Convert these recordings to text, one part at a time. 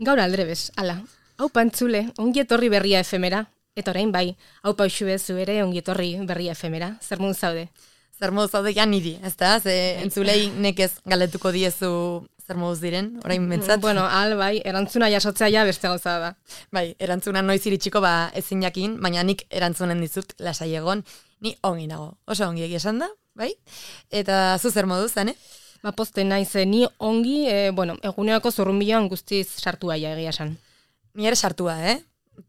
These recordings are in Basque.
Gaur aldrebes, ala. Hau pantzule, ongi etorri berria efemera. Eta orain bai, hau pausu bezu ere ongi etorri berria efemera. Zer moduz zaude? Zer moduz zaude ja niri, ez da? Ze entzulei nekez galetuko diezu zer moduz diren, orain bentsat. Bueno, bai, erantzuna jasotzea ja beste gauza da. Bai, erantzuna noiz iritsiko ezin jakin, baina nik erantzunen dizut lasai egon, ni ongi nago. Oso ongi egia esan da, bai? Eta zu zer moduz, zane? Poste naiz, ni ongi, egunerako zurrunbiloan guztiz sartua ja egia esan. Ni ere sartua,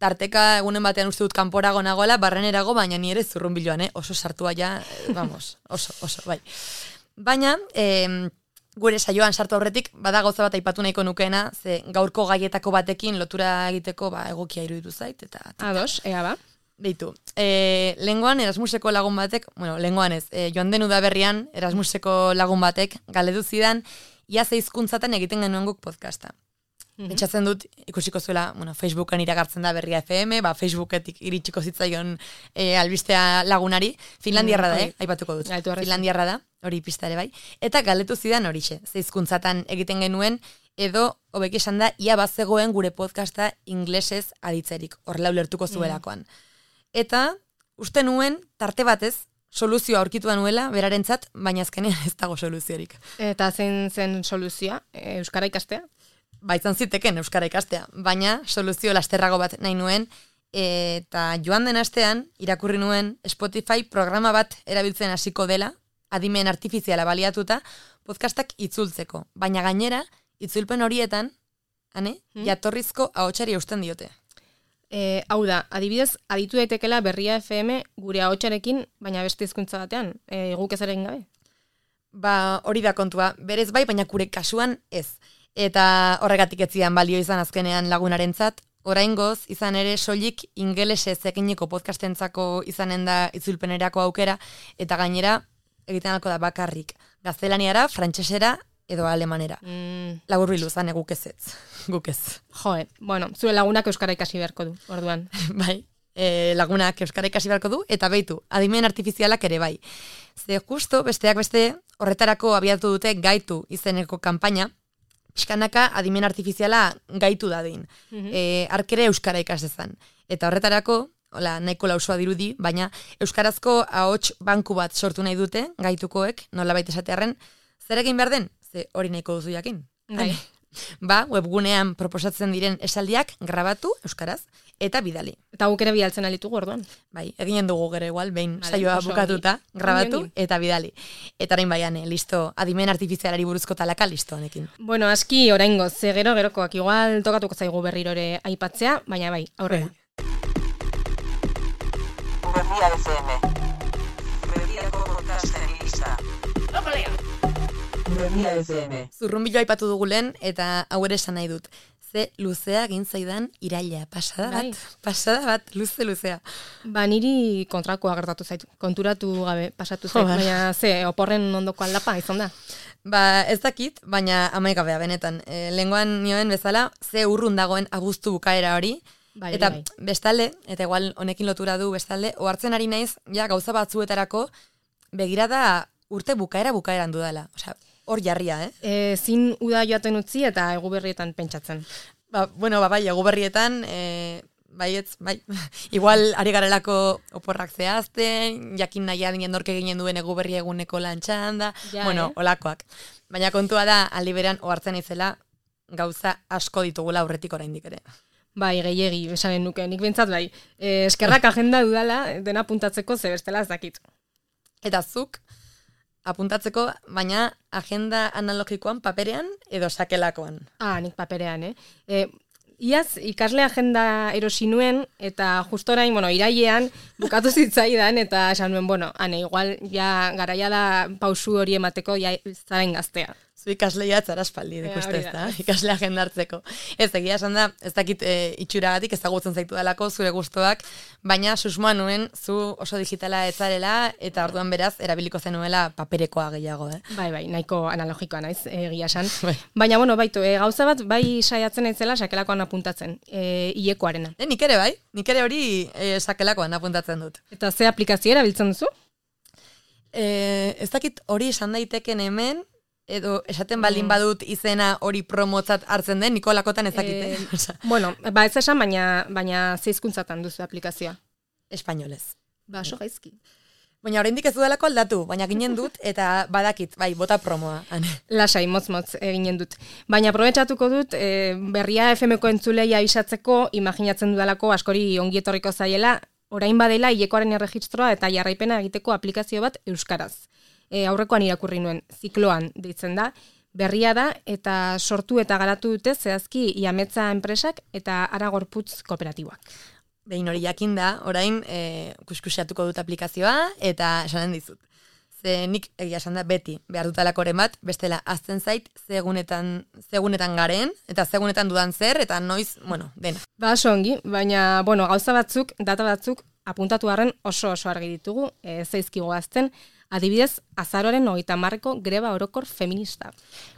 Tarteka egunen batean uste dut kanporago nagoela, barrenerago, baina ni ere zurrunbiloan, oso sartua ja, vamos, oso, bai. Baina, gure saioan sartu aurretik, bada gauza bat aipatu nahiko nukeena, ze gaurko gaietako batekin lotura egiteko egokia iruditu zait. Ados, ea ba. Beitu, lehengoan Erasmuseko lagun batek, lehengoan ez, joan den udaberrian Erasmuseko lagun batek galdetu zidan, ia ze hizkuntzatan egiten genuen guk podcasta. Pentsatzen dut, ikusiko zuela, Facebookan iragartzen da Berria FM, Facebooketik iritsiko zitzaion albistea lagunari, Finlandiarra da, aipatuko dut. Finlandiarra da, hori pista ere bai. Eta galdetu zidan horixe, ze hizkuntzatan egiten genuen, edo, hobeki esan da, ia bazegoen gure podcasta inglesez aditzerik, horrela ulertuko zuelakoan. Eta, uste nuen, tarte batez, soluzioa aurkitu da nuela, berarentzat, baina azkenean ez dago soluziorik. Eta zein zen soluzioa, euskara ikastea? Izan ziteken euskara ikastea, baina soluzio lasterrago bat nahi nuen, eta joan den astean, irakurri nuen Spotify programa bat erabiltzen hasiko dela, adimen artifiziala baliatuta, podcastak itzultzeko. Baina gainera, itzulpen horietan, jatorrizko ahotsari eusten diote. Hau da, adibidez, aditu daitekela Berria FM gure ahotsarekin, baina beste hizkuntza batean, guk ez ere gabe? Hori da kontua, berez bai, baina gure kasuan ez. Eta horregatik ez zidan balio izan azkenean lagunarentzat, oraingoz izan ere soilik ingelesez eginiko podcastentzako izanen da itzulpenerako aukera, eta gainera egiten alko da bakarrik gaztelaniara, frantsesera edo alemanera. Laburbildu zane guk ez. Joe, zure lagunak euskara ikasi beharko du, orduan. Bai, lagunak euskara ikasi beharko du, eta beitu, adimen artifizialak ere bai. Ze justo, besteak beste, horretarako abiatu dute Gaitu izeneko kanpaina, pixkanaka adimen artifiziala gaitu dadin. Arkere euskara ikasezan. Eta horretarako, nahiko lausua dirudi, baina euskarazko ahots banku bat sortu nahi dute, gaitukoek, nolabait esatearren, zer egin behar den? Ze hori nahiko duzu jakin. Webgunean proposatzen diren esaldiak grabatu euskaraz, eta bidali. Eta guk ere bidaltzen alitugu orduan. Bai, eginen dugu gero igual, behin saioa bukatuta, grabatu eta bidali. Eta orain baian, listo, adimen artifizialari buruzko talaka, listo honekin. Aski oraingo, ze gerokoak igual tokatuko zaigu berriro ere aipatzea, baina bai, aurrera. Berria FM. Berriako podcasten lista. Berria FM. Zurrunbilo aipatu dugu lehen, eta hau ere esan nahi dut. Ze luzea egin zaidan iraila, pasada bat, luzea. Niri kontrakoa gertatu zaitu, konturatu gabe pasatu zaitu, baina oporren ondoko aldapa izan da. Ez dakit, baina amaigabea benetan. Lehengoan nioen bezala, ze urrun dagoen abuztu bukaera hori, eta bestalde, eta igual honekin lotura du bestalde, ohartzen ari naiz, gauza batzuetarako begirada urte bukaeran dudala. Hor jarria, Zin uda joaten utzi eta egu berrietan pentsatzen. Bai, egu berrietan, bai. Igual ari garelako oporrak zehazten, jakin nahi adinen dorke ginen duen egu berri eguneko lantxan da, olakoak. Baina kontua da, aldi berean, ohartzen izela, gauza asko ditugula aurretik oraindik ere. Bai, gehiegi, esanen nuke, nik bentsat bai. Eskerrak agenda dudala, dena apuntatzeko ze bestela ez dakit. Eta zuk, apuntatzeko, baina agenda analogikoan paperean edo sakelakoan? Nik paperean, Iaz, ikasle agenda erosi nuen, eta justo orain, irailean, bukatu zitzaidan, eta esan nuen, igual, garaia da pausu hori emateko, zaren gaztea. Zu ikasleia zara espaldi, ikuste ez da, ikasle agenda hartzeko. Ez egia esan da, ez dakit itxuragatik ezagutzen zaitu dalako zure gustoak, baina susmoa nuen zu oso digitala ez zarela, eta orduan beraz, erabiliko zenuela paperekoa gehiago, Bai, nahiko analogikoa naiz, egia esan. Baina, gauza bat, bai saiatzen naizela sakelakoan apuntatzen, hilekoarena. Nik ere hori sakelakoan apuntatzen dut. Eta ze aplikazio erabiltzen duzu? Ez dakit hori esan daiteken hemen, edo esaten baldin badut izena hori promotzat hartzen den, Nikolakotan ezakite. Bueno, ez esan, baina zeizkuntzatan duzu aplikazioa. Espainolez. Oso gaizki. Baina oraindik ez dudalako aldatu, baina ginen dut, eta badakit, bai, bota promoa. Lasai, motz eginen dut. Baina aprobetxatuko dut, berria FM-ko entzulei abisatzeko, imaginatzen dudalako askori ongietorriko zaiela, orain badela hilekoaren erregistroa eta jarraipena egiteko aplikazio bat euskaraz. Aurrekoan irakurri nuen, zikloan deitzen da, berria da eta sortu eta garatu dute zehazki Iametza enpresak eta Aragorputz kooperatiboak. Behin hori jakinda, orain kuskusiatuko dut aplikazioa eta esanen dizut. Ze nik egia esan da beti behar dutalakoren bat, bestela azten zait zegunetan garen, eta zegunetan dudan zer, eta noiz, dena. Oso ongi, baina, gauza batzuk, data batzuk, apuntatu harren oso argi ditugu, zeizkigo azten, adibidez, azaroaren 30ko greba orokor feminista.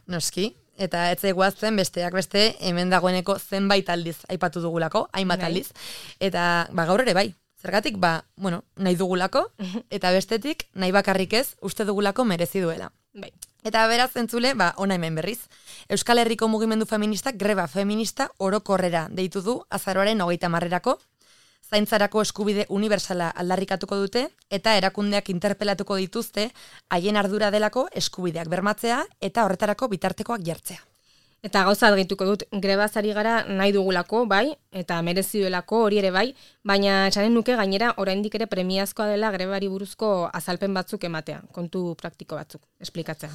Noski, eta ez eguazten besteak beste hemen dagoeneko zenbait aldiz aipatu dugulako, hainbat aldiz, eta gaur ere bai. Zergatik, nahi dugulako, eta bestetik, nahi bakarrik ez, uste dugulako merezi duela. Bai. Eta beraz entzule, ona hemen berriz. Euskal Herriko mugimendu feministak greba feminista orokorrera deitu du azaroaren 30erako, zaintzarako eskubide unibertsala aldarrikatuko dute, eta erakundeak interpelatuko dituzte, haien ardura delako eskubideak bermatzea, eta horretarako bitartekoak jartzea. Eta gauza argituko dut, grebazari gara nahi dugulako, bai, eta merezi duelako hori ere bai, baina esanen nuke gainera oraindik ere premiazkoa dela grebari buruzko azalpen batzuk ematea, kontu praktiko batzuk, esplikatzea.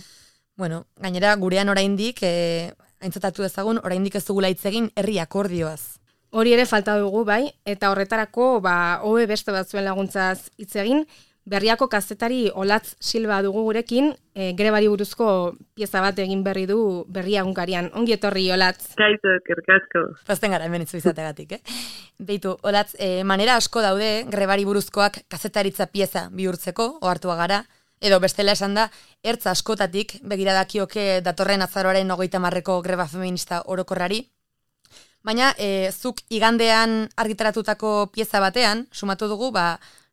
Gainera gurean oraindik, aintzatatu dezagun, oraindik ez dugula hitz egin herri akordioaz. Hori ere falta dugu, bai, eta horretarako, hobe beste batzuen laguntzaz hitz egin, Berriako kazetari Olatz Silva dugu gurekin, grebari buruzko pieza bat egin berri du Berria egunkarian. Ongi etorri, Olatz. Kaito, kerkasko. Pozten gara hemen itzu izategatik, Beitu, Olatz, manera asko daude grebari buruzkoak kazetaritza pieza bihurtzeko, ohartua gara, edo bestela esan da, ertz askotatik begiradakioke datorren azaroaren 30ko greba feminista orokorrari. Baina, zuk igandean argitaratutako pieza batean, sumatu dugu,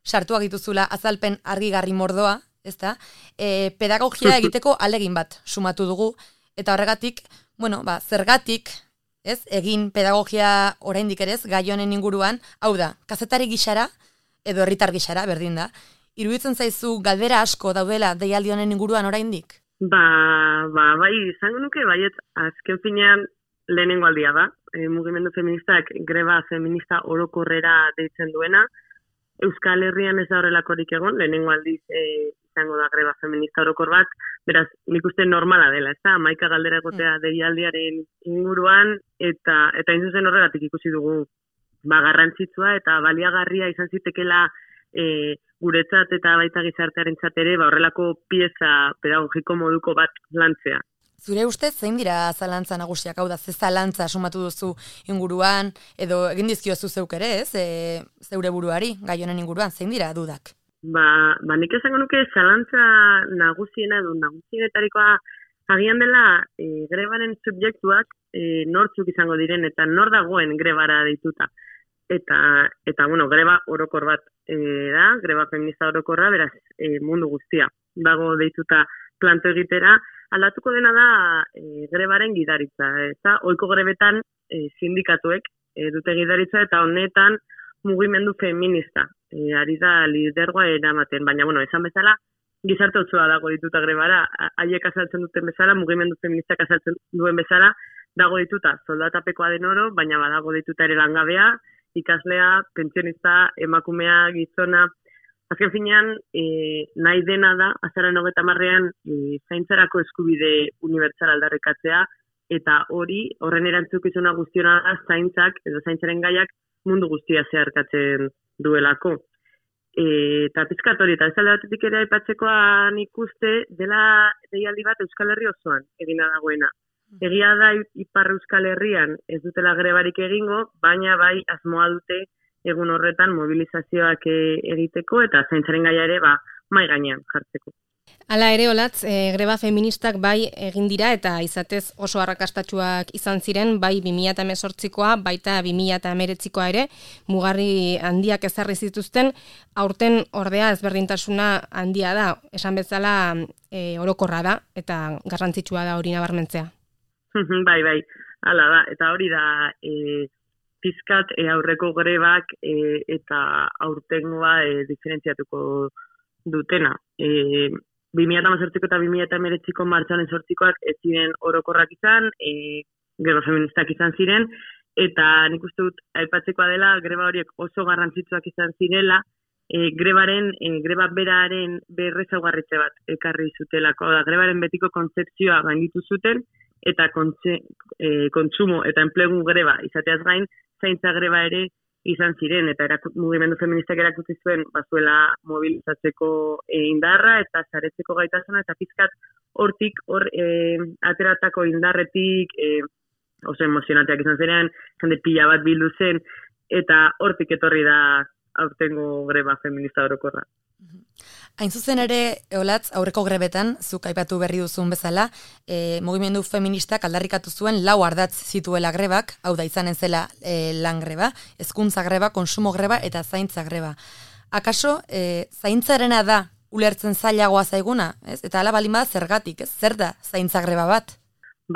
sartuak dituzula azalpen argigarri mordoa, ezta? Pedagogia egiteko alegin bat sumatu dugu, eta horregatik, zergatik, egin pedagogia oraindik ere ez, gai honen inguruan, hau da, kazetari gixara, edo herritar gixara, berdin da, iruditzen zaizu galdera asko daudela deialdi honen inguruan oraindik? Bai, izango nuke, baiet, azken finean lehenengo aldia da, mugimendu feministak greba feminista orokorrera deitzen duena, Euskal Herrian ez da horrelakorik egon, lehenengo aldiz izango da greba feminista orokor bat, beraz, nik uste normala dela, ez da, 11 galdera egotea deialdiaren inguruan, eta zuzen horregatik ikusi dugu garrantzitsua eta baliagarria izan zitekela guretzat eta baita gizartearentzat ere horrelako pieza pedagogiko moduko bat lantzea. Zure ustez, zein dira zalantza nagusiak, hau da, ze zalantza sumatu duzu inguruan, edo egin dizkiozu zeuk ere, zeure buruari, gai honen inguruan, zein dira dudak? Nik esango nuke zalantza nagusiena edo nagusienetarikoa agian dela grebaren subjektuak nortzuk izango diren eta nor dagoen grebara deituta. Eta greba orokor bat da, greba feminista orokorra, beraz mundu guztia dago deituta planto egitera, aldatuko dena da grebaren gidaritza. Eta ohiko grebetan sindikatuek dute gidaritza eta honetan mugimendu feminista. Ari da lidergoa eramaten, baina esan bezala gizarte osoa dago dituta grebara, haiek azaltzen duten bezala, mugimendu feministak azaltzen duen bezala, dago dituta soldatapekoa den oro, baina badago dituta ere langabea, ikaslea, pentsionista, emakumea, gizona. Azken finean, nahi dena da, azaroaren 30ean zaintzarako eskubide unibertsal aldarrikatzea, eta horren erantzukizuna guztiona da zaintzak edo zaintzaren gaiak mundu guztia zeharkatzen duelako. Eta pizkat hori, eta ez alde batetik ere aipatzekoan ikuste dela deialdi bat Euskal Herri osoan egina dagoena. Egia da Ipar Euskal Herrian ez dutela grebarik egingo, baina bai asmoa dute egun horretan mobilizazioak egiteko eta zaintzaren gaia ere mai gainean jartzeko. Hala ere, Olatz, greba feministak bai egin dira eta izatez oso arrakastatsuak izan ziren, bai 2018koa, baita 2019koa ere, mugarri handiak ezarri zituzten, aurten ordea ezberdintasuna handia da, esan bezala orokorra da eta garrantzitsua da hori nabarmentzea. Bai, hala da, eta hori da pizkat aurreko grebak eta aurtengoa diferentziatuko dutena. 2018ko eta 2019ko martxoaren 8koak ez ziren orokorrak izan, greba feministak izan ziren, eta nik uste dut aipatzekoa dela greba horiek oso garrantzitsuak izan zirela, greba beraren berrezaugarritze bat ekarri zutelako, da grebaren betiko kontzepzioa gainditu zuten, eta kontsumo eta enplegu greba izateaz gain, zaintza greba ere izan ziren, eta mugimendu feministak erakutsi zuen bazuela mobilizatzeko indarra eta saretzeko gaitasuna, eta pizkat hortik ateratako indarretik oso emozionanteak izan ziren, jende pila bat bildu zen, eta hortik etorri da aurtengo greba feminista orokorra. Hain zuzen ere, Olatz, aurreko grebetan, zuk aipatu berri duzun bezala, mugimendu feministak aldarrikatu zuen 4 ardatz zituela grebak, hau da izanen zela lan greba, hezkuntza greba, konsumo greba eta zaintza greba. Akaso, zaintzarena da ulertzen zailagoa zaiguna, ez? Eta hala balin bada zergatik, ez? Zer da zaintza greba bat?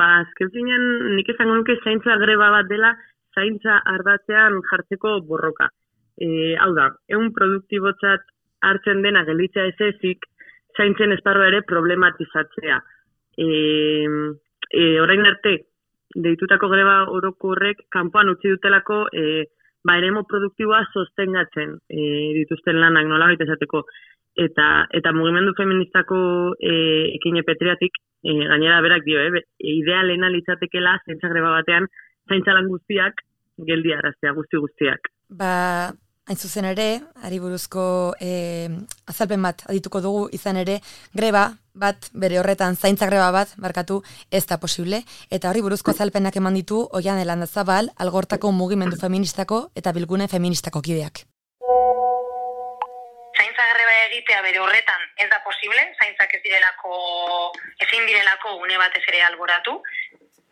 Azken finean, nik esango nuke zaintza greba bat dela, zaintza ardatzean jartzeko borroka. Hau da, ehun produktibotzat hartzen dena gelditzea ezik, zaintzen esparroa ere problematizatzea. Orain arte, deitutako greba orokorrek kanpoan utzi dutelako eremu produktiboa sostengatzen dituzten lanak nolabait esateko. Eta mugimendu feministako ekine petriatik, gainera berak dio, idealena litzatekela zaintza greba batean, zaintza lan guztiak geldiaraztea, guztiak. Hain zuzen ere, ari buruzko azalpen bat adituko dugu izan ere, greba bat, bere horretan zaintza greba bat, barkatu, ez da posible, eta hori buruzko azalpenak eman ditu Oian Elandazabal, Algortako mugimendu feministako eta Bilgune feministako kideak. Zaintza greba egitea bere horretan ez da posible, zaintzak ezin direlako une batez ere alboratu,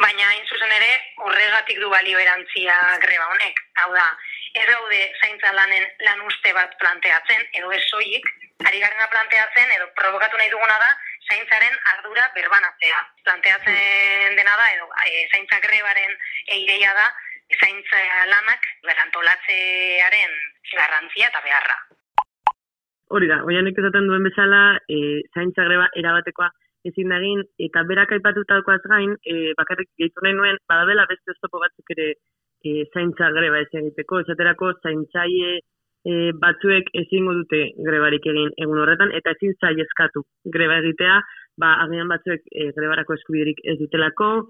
baina hain zuzen ere horregatik du balio erantzia greba honek, hau da, ez gaude zaintza lanen lan uste bat planteatzen, edo ez soilik, ari garena planteatzen, edo provokatu nahi duguna da, zaintzaren ardura berbanatzea. Planteatzen dena da, edo zaintza grebaren ideia da, zaintza lanak berantolatzearen garrantzia eta beharra. Hori da, Oianek esaten duen bezala, zaintza greba erabatekoa ezin dagin, eta berak aipatutakoaz gain, bakarrik gehitu nahi nuen, badabela beste oztopo batzuk ere zaintza greba ez egiteko, esaterako zaintzaile batzuek ezingo dute grebarik egin egun horretan, eta ezin eskatu greba egitea, agian batzuek grebarako eskubiderik ez dutelako,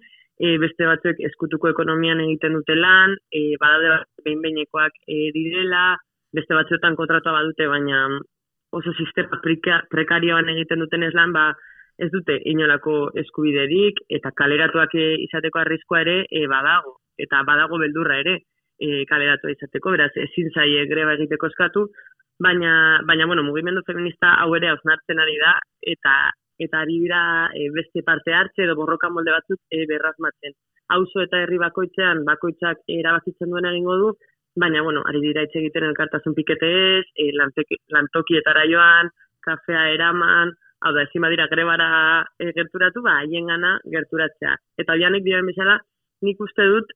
beste batzuek eskutuko ekonomian egiten dute lan, badaude behin-behinekoak direla, beste batzuetan kontratua badute, baina oso sistema prekarioan egiten duten ez lan, ez dute inolako eskubiderik, eta kaleratuak izateko arriskoa ere badago. Eta badago beldurra ere kaleratua izateko, beraz ezin zaie greba egiteko eskatu, baina mugimendu feminista hau ere hausnartzen ari da, eta ari dira beste parte hartze edo borroka molde batzuk berrazmatzen. Auzo eta herri bakoitzak erabakitzen duen egingo du, baina ari dira hitz egiten elkartasun piketez, lantokietara joan, kafea eraman, hau da, ezin badira grebara gerturatu, haiengana gerturatzea. Eta Oianek dioen bezala, nik uste dut,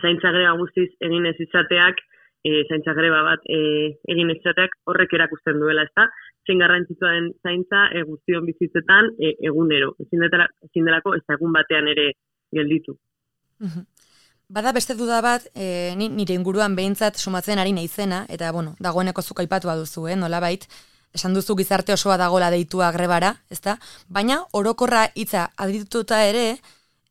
zaintza greba guztiz egin ez izateak, zaintza greba bat egin ez izateak horrek erakusten duela, ezta? Zein garrantzitsua den zaintza guztion bizitzetan egunero. Ezin delako ez egun batean ere gelditu. Bada beste duda bat, nire inguruan behintzat sumatzen ari naizena, eta dagoeneko zuk aipatu baduzu, nolabait, esan duzu gizarte osoa dagoela deitua grebara, ezta? Baina orokorra hitza adituta ere,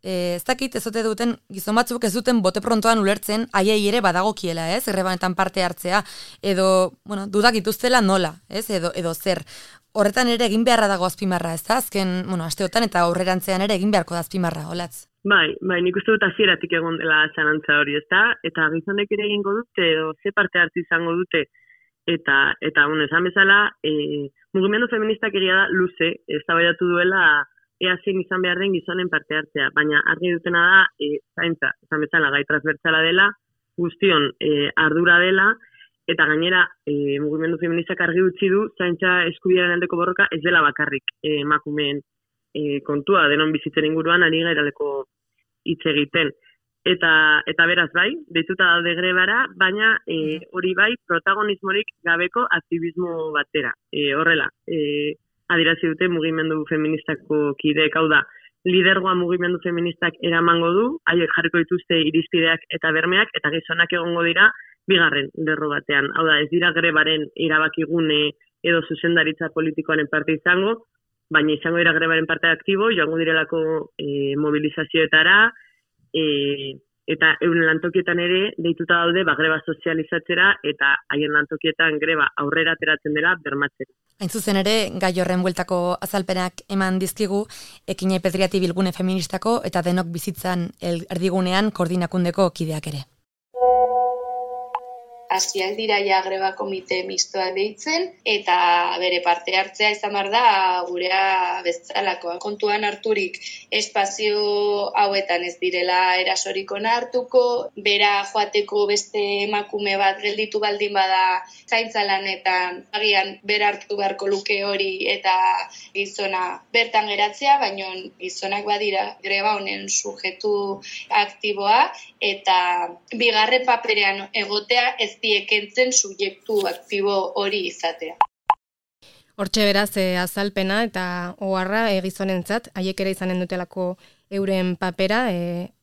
ez dakit ez ote duten gizon batzuk ez duten bote prontoan ulertzen haiei ere badagokiela, ez? Grebanetan parte hartzea edo, dudak dituztela nola, ez? Edo zer. Horretan ere egin beharra dago azpimarra, ez da? Azken, asteotan eta aurrerantzean ere egin beharko da azpimarra, Olatz. Bai, nik uste dut hasieratik egon dela zalantza hori, ez da? Eta gizonek ere egingo dute edo ze parte hartu izango dute eta bueno, esan bezala, mugimendu feministak egia da luze, eztabaidatu duela ea zein izan behar den gizonen parte hartzea, baina argi dutena da, zaintza, esan bezala, gai transbertsala dela, guztion ardura dela, eta gainera mugimendu feministak argi utzi du, zaintza eskubidearen aldeko borroka ez dela bakarrik emakumeen kontua, denon bizitzen inguruan ari gairaleko hitz egiten. Eta beraz bai, deituta daude grebara, baina hori bai protagonismorik gabeko aktivismo batera. Horrela, adirazi dute mugimendu feministako kideek, hau da, lidergoa mugimendu feministak eramango du, haiek jarriko dituzte irizpideak eta bermeak, eta gizonak egongo dira bigarren lerro batean. Hau da, ez dira grebaren erabakigune edo zuzendaritza politikoaren parte izango, baina izango dira grebaren parte aktibo, joango direlako mobilizazioetara, eta euren lantokietan ere deituta daude greba sozializatzera eta haien lantokietan greba aurrera ateratzen dela bermatzera. Hain zuzen ere, gai horren bueltako azalpenak eman dizkigu, Ekinei Pedriati bilgune feministako eta denok bizitzan erdigunean koordinakundeko kideak ere. Hasiak dira ja greba komite mistoa deitzen, eta bere parte hartzea izan behar da gurea bezalakoa. Kontuan harturik espazio hauetan ez direla erasorik onartuko, bera joateko beste emakume bat gelditu baldin bada zaintza lanetan, agian bera hartu beharko luke hori eta gizona bertan geratzea, baina gizonak badira greba honen sujetu aktiboa, eta bigarren paperean egotea ez diekentzen subjektu aktibo hori izatea. Hortxe beraz azalpena eta oharra gizonentzat, haiek ere izanen dutelako euren papera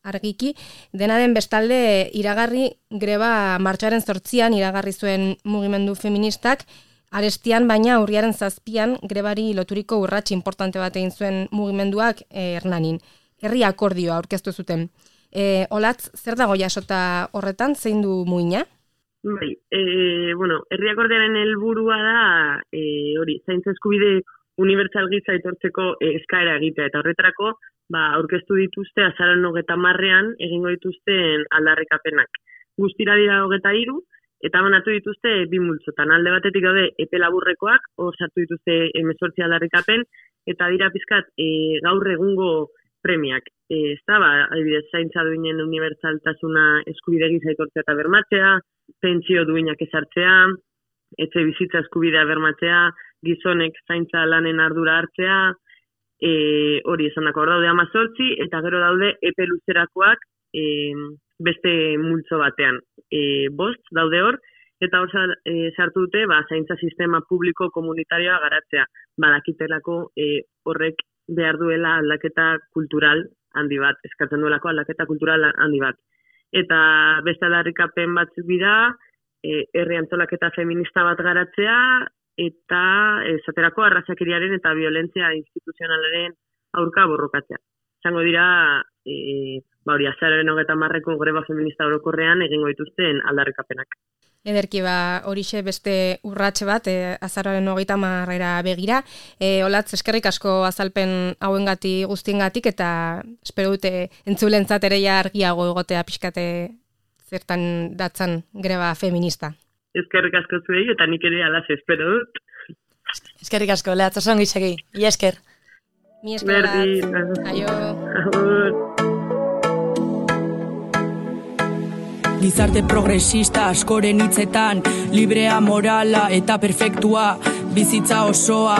argiki. Dena den bestalde iragarri greba martxoaren 8an iragarri zuen mugimendu feministak, arestian baina urriaren 7an grebari loturiko urrats importante bat egin zuen mugimenduak Hernanin. Herri akordioa aurkeztu zuten. Olatz, zer dago jasota horretan, zein du muina? Bai, herri akordioaren helburua da hori, zaintza eskubide unibertsal gisa aitortzeko eskaera egitea, eta horretarako aurkeztu dituzte azaroaren 30ean egingo dituzten aldarrikapenak. Guztira dira 23, eta banatu dituzte bi multzotan. Alde batetik daude epe laburrekoak, hor sartu dituzte 18 aldarrikapen, eta dira pizkat gaur egungo premiak. Adibidez, zaintza duinen unibertsaltasuna eskubide gisa aitortzea eta bermatzea, pentsio duinak ezartzea, etxe bizitza eskubidea bermatzea, gizonek zaintza lanen ardura hartzea, hori esan dako, hor daude 18, eta gero daude epe luzerakoak beste multzo batean. 5 daude hor, eta hor sartu dute zaintza sistema publiko komunitarioa garatzea. Badakitelako horrek behar duela aldaketa kultural handi bat, eskatzen duelako aldaketa kultural handi bat. Eta beste aldarrikapen batzuk dira, herri antolaketa feminista bat garatzea, eta esaterako arrazakeriaren eta violentzia instituzionalaren aurka borrokatzea. Izango dira, hori azaroaren 30ko greba feminista orokorrean egingo dituzten aldarrikapenak. Ederki horixe beste urratxe bat, azaroaren 30 begira. Olatz, eskerrik asko azalpen hauengati guztiengatik, eta espero dute entzulentzat ere ja argiago egotea pixkate zertan datzan greba feminista. Eskerrik asko zuei, eta nik ere alaz espero dut. Eskerrik asko, Lehatz, oso ongi segi. Ia esker. Mi esker, Olatz. Aio. Agur. Gizarte progresista askoren hitzetan, librea, morala eta perfektua, bizitza osoa,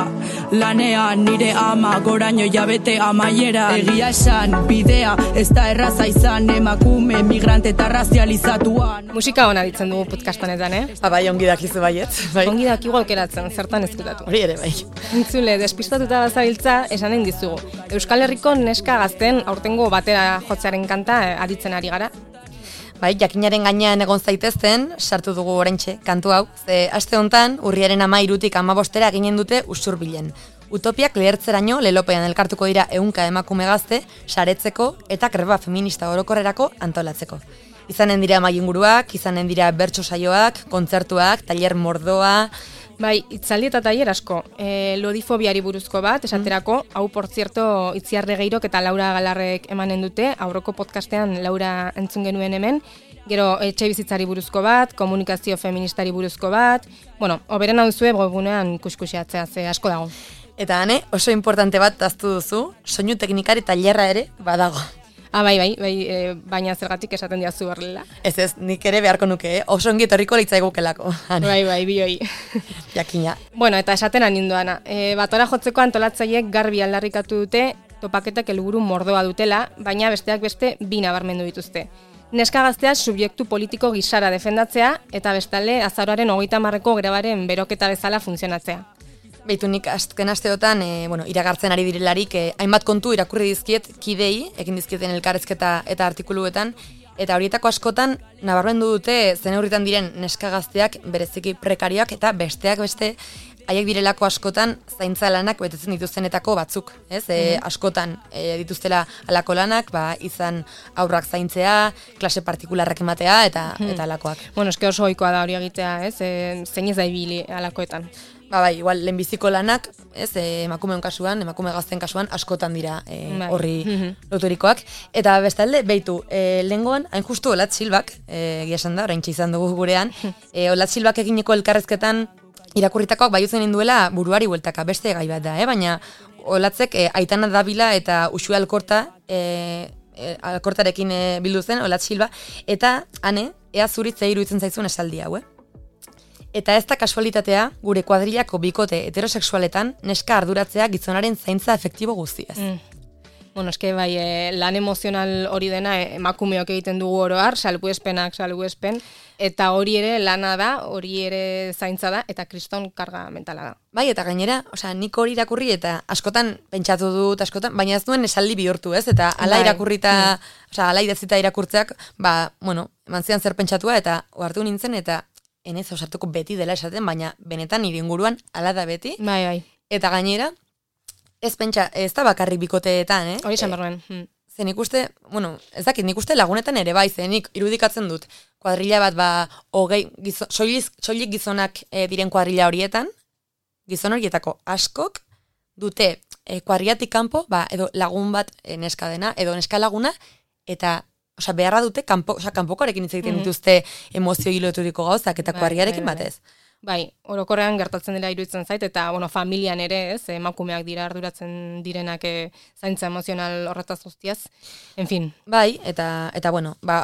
lanean nire ama, goraino jabete amaiera. Egia esan, bidea, ez da erraza izan, emakume, migrante eta razializatuan. Musika hona ditzen dugu podcast honetan, Bai, ongi dakizu baiet. Bai. Ongi dakigu aukeratzen, zertan ezkutatu. Hori ere, bai. Entzule, despistatuta bazabiltza, esanen dizugu. Euskal Herriko neska gazten aurtengo batera jotzearen kanta aditzen ari gara. Bai, jakinaren gainean egon zaitezten, sartu dugu oraintxe kantu hau, ze aste hontan urriaren 13tik 15 ginen dute Usurbilen. Utopiak lehertzeraino lelopean elkartuko dira 100 emakume gazte, saretzeko eta greba feminista orokorrerako antolatzeko. Izanen dira maiinguruak, izanen dira bertso saioak, kontzertuak, tailer mordoa. Bai, itzaldi eta tailer asko. Lodifobiari buruzko bat, esaterako, hau por cierto Itziar Regeirok eta Laura Galarrek emanen dute, aurreko podcastean Laura entzun genuen hemen. gero etxe bizitzari buruzko bat, komunikazio feministari buruzko bat, bueno, oberen hau zue webgunean kuskusiatzea, ze asko dago. Eta hane, oso importante bat aztu duzu, soinu teknikari tailerra ere badago. Bai, baina zergatik esaten diazu horrela. Ez, nik ere beharko nuke, oso ongi etorriko litzaigukelako. Bai, bioi. Jakina. Bueno, eta esaten aninduana. Batora jotzeko antolatzaileek garbi aldarrikatu dute, topaketak helburu mordoa dutela, baina besteak beste 2 nabarmendu dituzte. Neska gaztea subjektu politiko gisara defendatzea, eta bestalde azaroaren 30ko grebaren beroketa bezala funtzionatzea. Beitu nik azken asteotan, iragartzen ari direlarik, hainbat kontu irakurri dizkiet kidei, ekin dizkieten elkarrezketa eta artikuluetan, eta horietako askotan nabarmendu dute zeneurritan diren neska gazteak bereziki prekarioak eta besteak beste haiek direlako askotan zaintza lanak betetzen dituztenetako batzuk, ez? Askotan dituztela alako lanak, izan aurrak zaintzea, klase partikularrak ematea eta alakoak. Bueno, eske oso ohikoa da hori egitea, ez? Zein ez da ibili alakoetan. Igual, lehenbiziko lanak, ez, emakume gazten kasuan, askotan dira horri loturikoak. Eta bestalde, beitu, lehengoan, hain justu Olatz Silbak, esan da, oraintxe izan dugu gurean, Olatz Silbak egineko elkarrezketan irakurritakoak baiutzen induela buruari bueltaka, beste gai bat da, baina Olatzek Aitana Davila eta Uxue Alkortarekin bildu zen, Olatz Silba, eta hane, ea zuritze iruditzen zaizun esaldi hau, Eta ez da kasualitatea, gure kuadrilako bikote heterosexualetan neska arduratzea gizonaren zaintza efektibo guztiaz. Bueno, eske bai, lan emozional hori dena emakumeok egiten dugu oroar, salbuespenak, eta hori ere lana da, hori ere zaintza da, eta kriston karga mentala da. Bai, eta gainera, nik hori irakurri eta askotan pentsatu dut, baina ez duen esaldi bihurtu, ez? Eta ala irakurrita, ala idazita irakurtzeak, eman zidan zer pentsatua, eta ohartu nintzen, eta enez osartuko beti dela esaten, baina benetan nire inguruan ala da beti. Bai. Eta gainera, ez da bakarrik bikoteetan, Hori esan barruen. Zen ikuste, ez dakit, nik uste lagunetan ere bai, nik irudikatzen dut, kuadrilla bat, soilik gizonak diren kuadrilla horietan, gizon horietako askok dute kuadrillatik kanpo, edo lagun bat neska dena, edo neska laguna, eta beharra dute, kanpokoarekin hitz egiten dituzte emozio hiloturiko gauzak eta kuadrillarekin batez. Bai, orokorrean gertatzen dela iruditzen zait, eta familian ere, ez, emakumeak dira arduratzen direnak zaintza emozional horretaz guztiaz. En fin. Bai, eta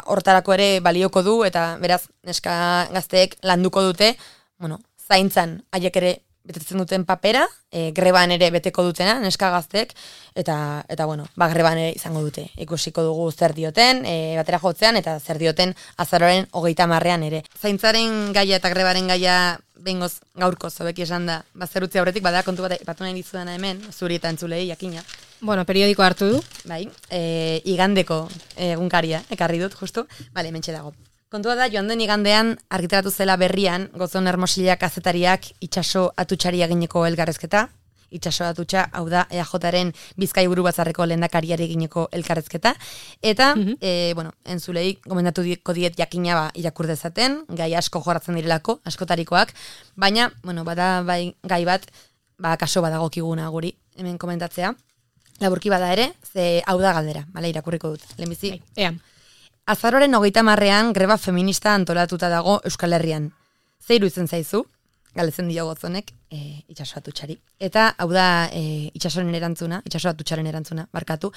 hortarako ere balioko du, eta beraz, neska gazteek landuko dute, zaintzan haiek ere betetzen duten papera, greban ere beteko dutena, neska gazteek, eta greban ere izango dute. Ikusiko dugu zer dioten, batera jotzean, eta zer dioten azaroaren 30ean ere. Zaintzaren gaia eta grebaren gaia behingoz gaurko zobeki esan da, zerutzi aurretik, badara kontu bat ipatu nahi dizudana hemen, zuri eta entzulei, jakina. Bueno, periodiko hartu du. Bai, igandeko egunkaria, ekarri dut, justu. Bale, mentxe dago. Kontua da, joan den igandean argitaratu zela berrian, Gozon Hermosilla kazetariak itxaso atutxari egineko elkarrezketa. Itxaso atutxa, hau da, EAJaren Bizkai Buru Batzarreko lehendakariari egineko elkarrezketa. Eta, entzulei, gomendatu diet jakina irakur dezaten, gai asko jorratzen direlako, askotarikoak, baina, bada gai bat, kaso badagokiguna guri, hemen komentatzea. Laburki bada ere, ze hau da galdera, irakurriko dut, lehenbizi. Ea. Azaroaren 30ean greba feminista antolatuta dago Euskal Herrian. Ze iruditzen zaizu? Galetzen dio Gozonek itxaso atutxari. Eta hau da itxaso atutxaren erantzuna, barkatu.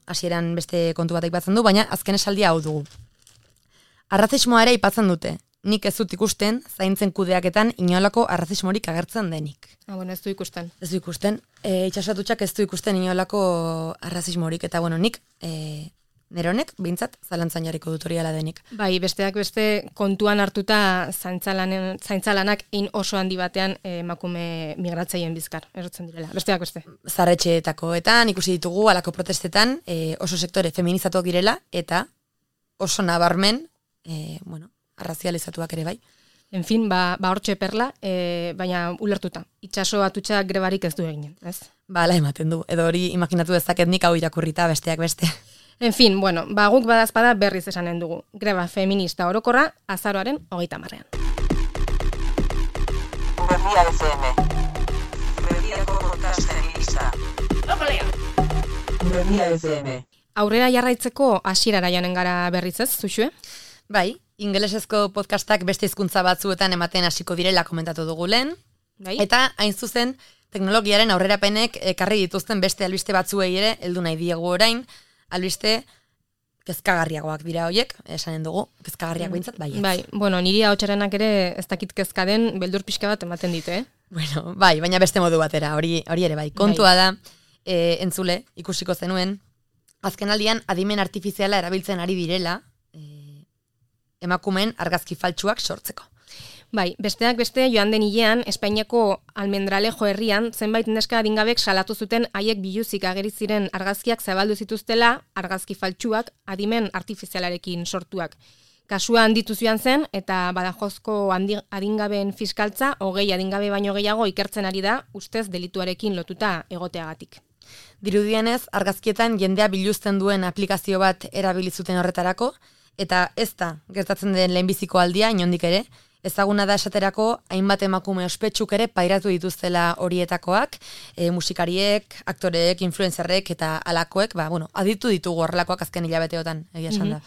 Hasieran beste kontu bat aipatzen du, baina azken esaldia hau dugu. Arrazismoa ere aipatzen dute. Nik ez dut ikusten, zaintzen kudeaketan inolako arrazismorik agertzen denik. Ez du ikusten. Ez du ikusten. Itxaso atutxak ez du ikusten inolako arrazismorik. Eta nik nire honek, bintzat, zalantzan jarriko dut hori ala denik. Bai, besteak beste kontuan hartuta zaintzalanak oso handi batean emakume migratzaien bizkar, erotzen direla. Besteak beste. Zarretxeetakoetan, ikusi ditugu, alako protestetan, oso sektore feminizatuak direla, eta oso nabarmen, arrazializatuak ere bai. En fin, hortxe perla, baina ulertuta. Itxaso atutxa grebarik ez du eginen, ez? Ala ematen du, edo hori imaginatu dezaket nik hau irakurrita besteak beste. En fin, guk badazpada berriz esanen dugu. Greba feminista orokorra azaroaren 30ean. Berria FM. Berriako podcast feminista. Berria FM. Aurrera jarraitzeko hasierara joanen gara berriz ez, Zuxue? Bai, ingelesezko podcastak beste hizkuntza batzuetan ematen hasiko direla komentatu dugu lehen. Bai? Eta hain zuzen, teknologiaren aurrerapenek ekarri dituzten beste albiste batzuei ere heldu nahi diegu orain, albiste kezkagarriagoak dira hoiek, esanen dugu, kezkagarriak behintzat, baietz. Bai, bueno, niri ahotsarenak ere ez dakit kezka den beldur pixka bat ematen dite, Bueno, bai, baina beste modu batera, hori ere bai. Kontua da, entzule, ikusiko zenuen, azkenaldian adimen artifiziala erabiltzen ari direla, emakumeen argazki faltsuak sortzeko. Bai, besteak beste joan den hilean, Espainiako Almendralejo herrian, zenbait neska adingabek salatu zuten haiek biluzik ageri ziren argazkiak zabaldu zituztela, argazki faltsuak adimen artifizialarekin sortuak. Kasua handitu joan zen, eta Badajozko adingabeen fiskaltza, 20 adingabe baino gehiago ikertzen ari da, ustez delituarekin lotuta egoteagatik. Dirudienez, argazkietan jendea biluzten duen aplikazio bat erabili zuten horretarako, eta ez da gertatzen den lehenbiziko aldia inondik ere, ezaguna da esaterako hainbat emakume ospetsuk ere pairatu dituztela horietakoak, musikariek, aktoreek, influencerrek eta alakoek, aditu ditugu horrelakoak azken hilabeteotan, egia esan da.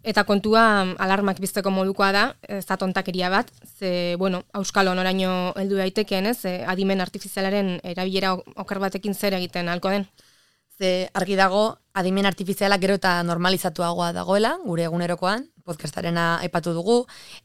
Eta kontua alarmak bizteko modukoa da, ez da tontakeria bat, ze, auskalo noraino heldu daitekeen, ez, adimen artifizialaren erabilera oker batekin zer egiten halko den. Ze argi dago, adimen artifiziala gero eta normalizatuagoa dagoela, gure egunerokoan, podcastarena aipatu dugu,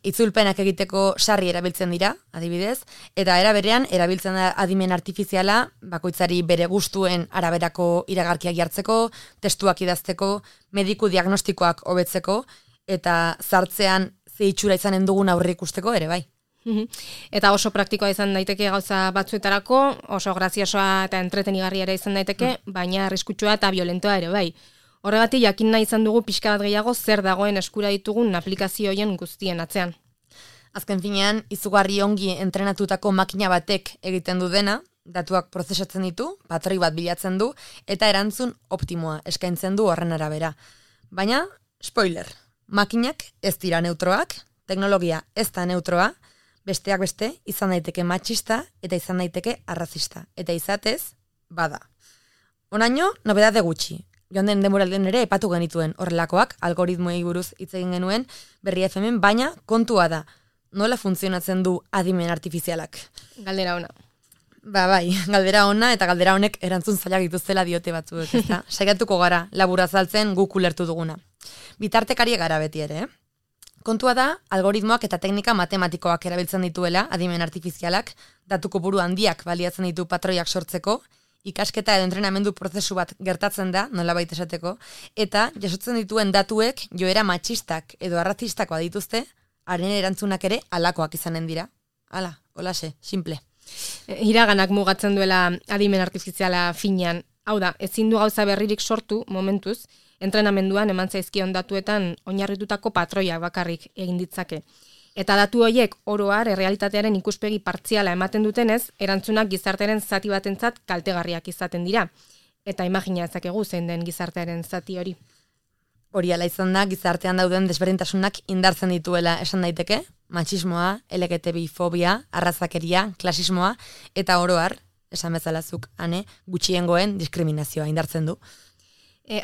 itzulpenak egiteko sarri erabiltzen dira, adibidez, eta era berean erabiltzen da adimen artifiziala bakoitzari bere gustuen araberako iragarkiak jartzeko, testuak idazteko, mediku diagnostikoak hobetzeko, eta zartzean ze itxura izanen dugun aurre ikusteko ere bai. Eta oso praktikoa izan daiteke gauza batzuetarako, oso graziosoa eta entretenigarria ere izan daiteke, baina arriskutsua eta violentoa ere bai. Horregatik jakin nahi izan dugu pixka bat gehiago zer dagoen eskura ditugun aplikazioen guztien atzean. Azken finean, izugarri ongi entrenatutako makina batek egiten du dena, datuak prozesatzen ditu, patroi bat bilatzen du, eta erantzun optimoa eskaintzen du horren arabera. Baina, spoiler, makinak ez dira neutroak, teknologia ez da neutroa, besteak beste izan daiteke matxista eta izan daiteke arrazista. Eta izatez, bada. Onaino, nobedade gutxi. Joan den denboralden ere epatu genituen horrelakoak, algoritmoei buruz hitz egin genuen Berria FM, baina kontua da, nola funtzionatzen du adimen artifizialak? Galdera ona. Bai, galdera ona eta galdera honek erantzun zailak dituztela diote batzuek, ezta? Saiatuko gara, labur azaltzen guk ulertu duguna. Bitartekariek gara beti ere, Kontua da, algoritmoak eta teknika matematikoak erabiltzen dituela, adimen artifizialak, datu kopuru handiak baliatzen ditu patroiak sortzeko, ikasketa edo entrenamendu prozesu bat gertatzen da, nolabait esateko, eta jasotzen dituen datuek joera matxistak edo arrazistakoa dituzte, haren erantzunak ere alakoak izanen dira. Hala, holase, simple. Iraganak mugatzen duela adimen artifiziala finean. Hau da, ezin du gauza berririk sortu momentuz, entrenamenduan eman zaizkion datuetan oinarritutako patroiak bakarrik egin ditzake. Eta datu horiek oroar errealitatearen ikuspegi partziala ematen dutenez, erantzunak gizartearen zati batentzat kaltegarriak izaten dira. Eta imagina ezakegu zein den gizartearen zati hori. Hori ala izan da, gizartean dauden desberdintasunak indartzen dituela esan daiteke, matxismoa, LGTBI-fobia, arrazakeria, klasismoa, eta oroar, esan bezalazuk, gutxiengoen diskriminazioa indartzen du.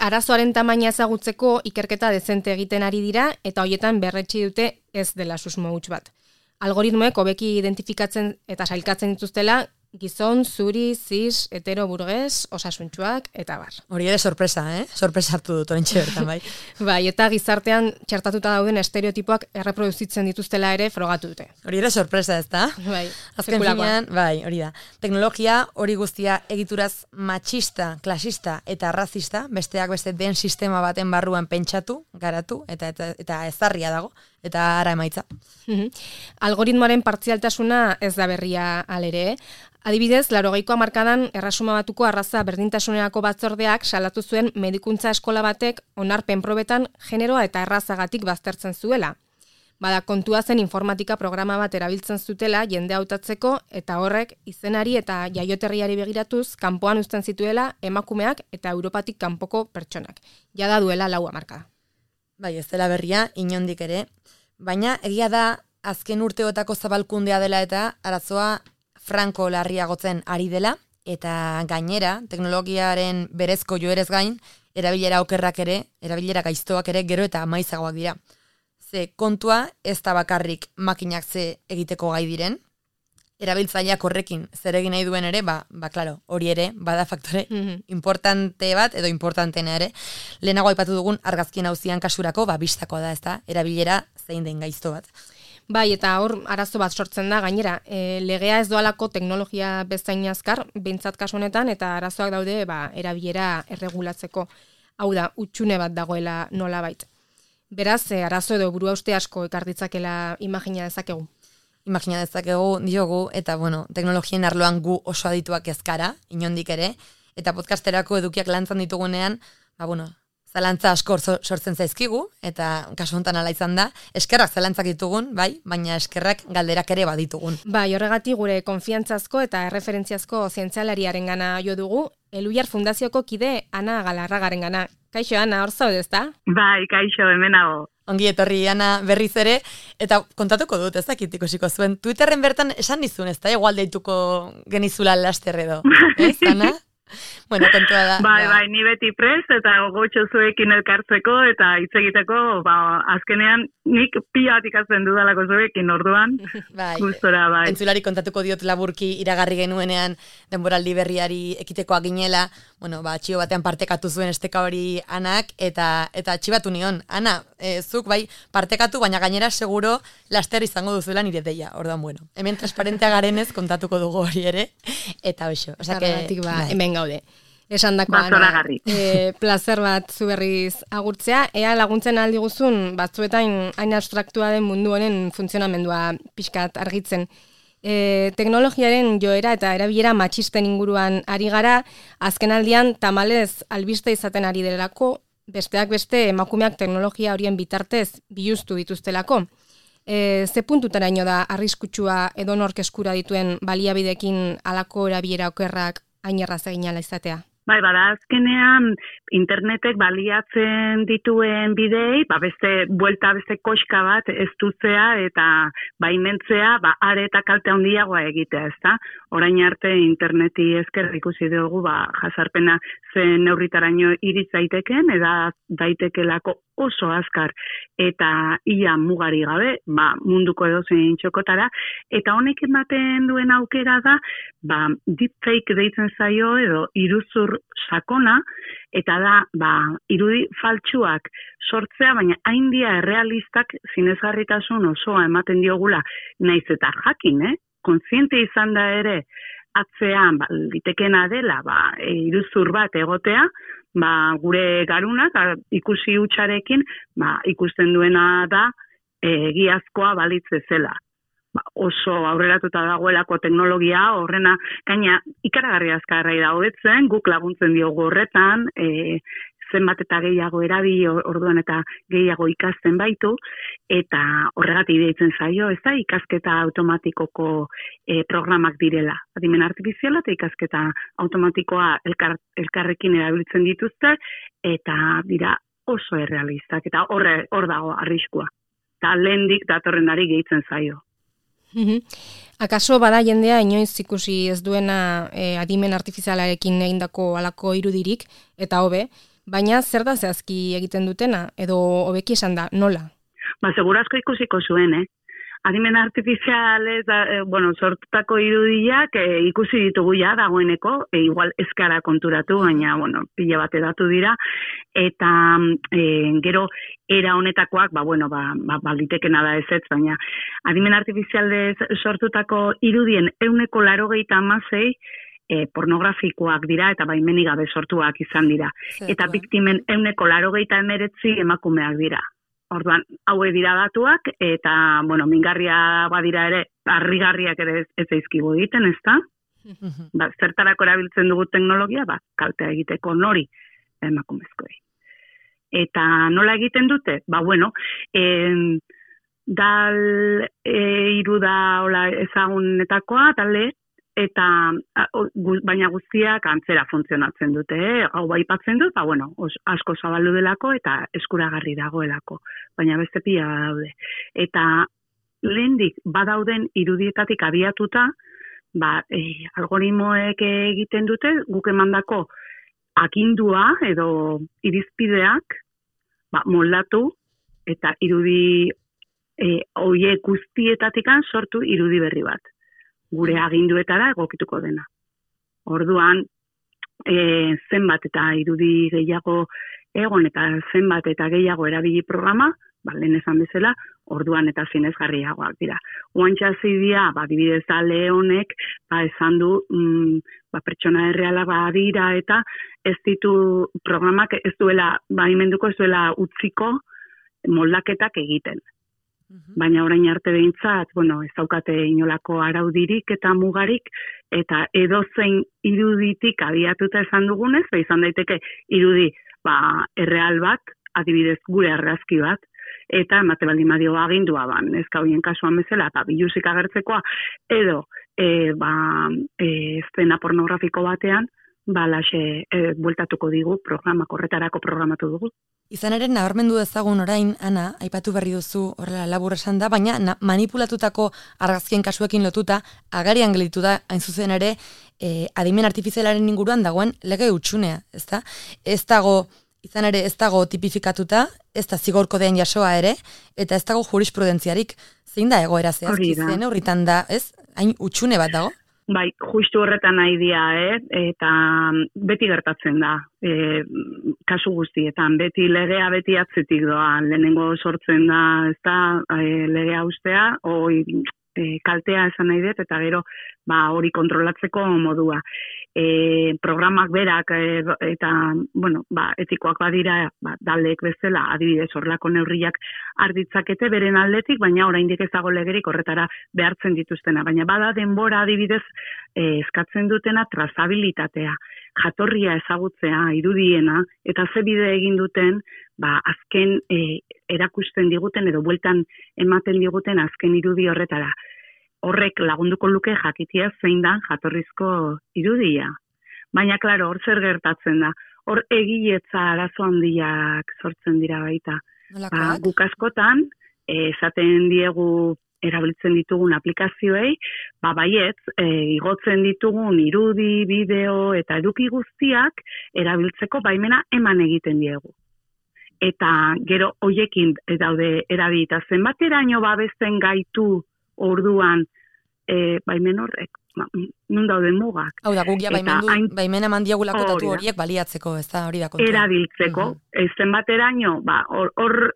Arazoaren tamaina ezagutzeko ikerketa dezente egiten ari dira eta hoietan berretsi dute ez dela susmo huts bat. Algoritmoek hobeki identifikatzen eta sailkatzen dituztela gizon, zuri, cis, hetero, burges, osasuntsuak eta bar. Hori ere sorpresa, Sorpresa hartu dut oraintxe bertan, bai. Bai, eta gizartean txertatuta dauden estereotipoak erreproduzitzen dituztela ere frogatu dute. Hori ere sorpresa, ezta? Bai, azken finean, bai, hori da. Teknologia hori guztia egituraz matxista, klasista eta arrazista, besteak beste den sistema baten barruan pentsatu, garatu eta ezarria dago, eta ara emaitza. Algoritmoaren partzialtasuna ez da berria alere, Adibidez, 80ko hamarkadan Erresuma Batuko arraza berdintasunerako batzordeak salatu zuen medikuntza eskola batek onarpen probetan generoa eta errazagatik baztertzen zuela. Bada, kontua zen informatika programa bat erabiltzen zutela jende hautatzeko eta horrek izenari eta jaioterriari begiratuz kanpoan uzten zituela emakumeak eta Europatik kanpoko pertsonak. Jada duela 4 hamarkada. Bai, ez dela berria, inondik ere. Baina, egia da, azken urteotako zabalkundea dela eta arazoa franko larriagotzen ari dela, eta gainera, teknologiaren berezko joerez gain, erabilera okerrak ere, erabilera gaiztoak ere gero eta maizagoak dira. Ze kontua ez da bakarrik makinak ze egiteko gai diren, erabiltzaileak horrekin zer egin nahi duen ere, claro, hori ere, bada faktore importante bat, edo importantena ere. Lehenago aipatu dugun argazkien auzian kasurako, bistakoa da, ez da, erabilera zein den gaizto bat. Bai, eta hor arazo bat sortzen da, gainera, legea ez doalako teknologia bezain azkar, behintzat kasu honetan, eta arazoak daude erabilera erregulatzeko. Hau da, utxune bat dagoela nolabait. Beraz, arazo edo buruhauste asko ekar ditzakela imagina dezakegu. Imagina dezakegu diogu, eta teknologien arloan gu oso adituak ezkara, inondik ere, eta podcasterako edukiak lantzan ditugunean, zalantza asko sortzen zaizkigu, eta kasu honetan ala izan da, eskerrak zalantzak ditugun, bai, baina eskerrak galderak ere baditugun. Bai, horregatik gure konfiantzazko eta erreferentziazko zientzialariaren gana jo dugu, Eluiar Fundazioko kide Ana Galarragaren gana. Kaixo, Ana, hor zaude, ezta? Bai, kaixo, hemenago. Ongi etorri, Ana, berriz ere, eta kontatuko dut, ez dakit ikusiko zuen. Twitterren bertan esan dizun, ez da, igual deituko genizula laster edo, ez, Ana? Bueno, kontua da. Bai, ni beti prest eta gogotxo zuekin elkartzeko eta hitz egiteko, azkenean nik pila bat ikasten dudalako zuekin orduan. Gustora, bai. Entzulari kontatuko diot laburki iragarri genuenean denboraldi berriari ekitekoa ginela, txio batean partekatu zuen esteka hori Anak, eta txibatu nion. Ana, zuk bai partekatu, baina gainera seguro laster izango duzuela nire deia. Orduan, hemen transparentea garenez kontatuko dugu hori ere, eta hoxo. Hemen gaude. Esan dakoan, plazer bat zu berriz agurtzea, ea laguntzen aldi guzun batzuetan hain abstraktua den mundu honen funtzionamendua pixkat argitzen. Teknologiaren joera eta erabilera matxisten inguruan ari gara, azkenaldian tamalez albiste izaten ari delako, besteak beste emakumeak teknologia horien bitartez biluztu dituztelako. Ze puntutaraino da arriskutsua edonork eskura dituen baliabidekin halako erabilera okerrak hain erraz egin ala izatea? Bai, azkenean internetek baliatzen dituen bidei, beste koska bat ez dutzea eta baimentzea, are eta kalte handiagoa egitea, ezta? Orain arte interneti esker ikusi dugu, jasarpena zen neurritaraino iritz daiteken, eta daitekelako oso azkar eta ia mugari gabe, munduko edozein txokotara, eta honek ematen duen aukera da, deepfake deitzen zaio edo iruzur sakona, eta da, irudi faltsuak sortzea, baina haindia errealistak zinezgarritasun osoa ematen diogula, naiz eta jakin, kontziente izan da ere, atzean, litekena dela, iruzur bat egotea, gure garunak, ikusi hutsarekin, ikusten duena da, egiazkoa balitze zela. Oso aurreratuta dagoelako teknologia, horrena, gaina ikaragarri azkarra da hobetzen, guk laguntzen diogu horretan, zenbat eta gehiago erabili orduan eta gehiago ikasten baitu, eta horregatik deitzen zaio, ez da, ikasketa automatikoko programak direla. Adimen artifiziala eta ikasketa automatikoa elkarrekin erabiltzen dituzte, eta dira oso errealistak, eta hor dago arriskua. Eta lehendik datorrenari gehitzen zaio. Akaso bada jendea inoiz ikusi ez duena adimen artifizialarekin egindako halako irudirik, eta hobe, baina zer da zehazki egiten dutena, edo hobeki esan da, nola? Segurazko ikusiko zuen, Adimen artifizialez, sortutako irudiak ikusi ditugu ja dagoeneko, igual eskara konturatu, baina, pila bat edatu dira, eta gero era honetakoak, balitekena da ezetz, baina adimen artifizialez sortutako irudien 186 pornografikoak dira eta baimenik gabe sortuak izan dira. Eta biktimen 189 emakumeak dira. Orduan, haue dira datuak, eta, mingarria badira ere, harrigarriak ere ez zaizkigu egiten, ez da? Zertarako erabiltzen dugu teknologia, kaltea egiteko nori emakumezkoei. Eta nola egiten dute? Dal hiru da ezagunetakoa, talde, eta baina guztiak antzera funtzionatzen dute, hau baipatzen dut, asko zabaldu delako eta eskuragarri dagoelako, baina beste pila daude. Eta lehendik badauden irudietatik abiatuta, algoritmoek egiten dute, guk emandako agindua edo irizpideak moldatu eta irudi hoiek guztietatikan sortu irudi berri bat. Gure aginduetara egokituko dena. Orduan, zenbat eta irudi gehiago egon eta zenbat eta gehiago erabili programa, lehen esan bezala, orduan eta zinezgarriagoak dira. Oantxa zidia, adibidez da Leonek, esan du, pertsona errealak dira eta ez ditu programak ez duela, baimenduko ez duela utziko moldaketak egiten. Baina orain arte behintzat, ez daukate inolako araudirik eta mugarik, eta edozein iruditik abiatuta esan dugunez, izan daiteke irudi erreal bat, adibidez gure argazki bat, eta emate baldin badio agindua neska hoien kasuan bezala, biluzik agertzekoa, edo eszena pornografiko batean, laxe bueltatuko digu horretarako programatu dugu. Izan ere, nabarmendu dezagun orain, Ana, aipatu berri duzu horrela labur esan da, baina manipulatutako argazkien kasuekin lotuta, agarian gelditu da, hain zuzen ere, adimen artifizialaren inguruan dagoen lege hutsunea, ezta? Izan ere, ez dago tipifikatuta, ez da zigor kodean jasoa ere, eta ez dago jurisprudentziarik. Zein da egoera zehazki, zen horritan da, ez? Hain hutsune bat dago? Bai, justu horretan nahi dia, eta beti gertatzen da, kasu guztietan, beti legea beti atzetik doa, lehenengo sortzen da, ez da, legea ustea, kaltea esan nahi dut, eta gero, hori kontrolatzeko modua. Programak berak, eta, etikoak badira, dalek bezala, adibidez horrelako neurriak arditzakete beren aldetik, baina oraindik ez dago legerik horretara behartzen dituztena. Baina bada denbora adibidez eskatzen dutena trazabilitatea, jatorria ezagutzea, irudiena, eta ze bide egin duten, azken erakusten diguten edo bueltan ematen diguten azken irudi horretara. Horrek lagunduko luke jakitia zein da jatorrizko irudia. Baina, klaro, hor zer gertatzen da. Hor egiletza arazo handiak sortzen dira baita. Guk askotan, esaten diegu erabiltzen ditugun aplikazioei, baietz, igotzen ditugun irudi, bideo eta eduki guztiak erabiltzeko baimena eman egiten diegu. Eta gero hoiekin daude erabilita zenbateraino babesten gaitu orduan baimen horrek, nun daude mugak. Hau da, guk ja baimen eman diagulako datu horiek baliatzeko, ez da hori da kontua. Erabiltzeko, zenbateraino,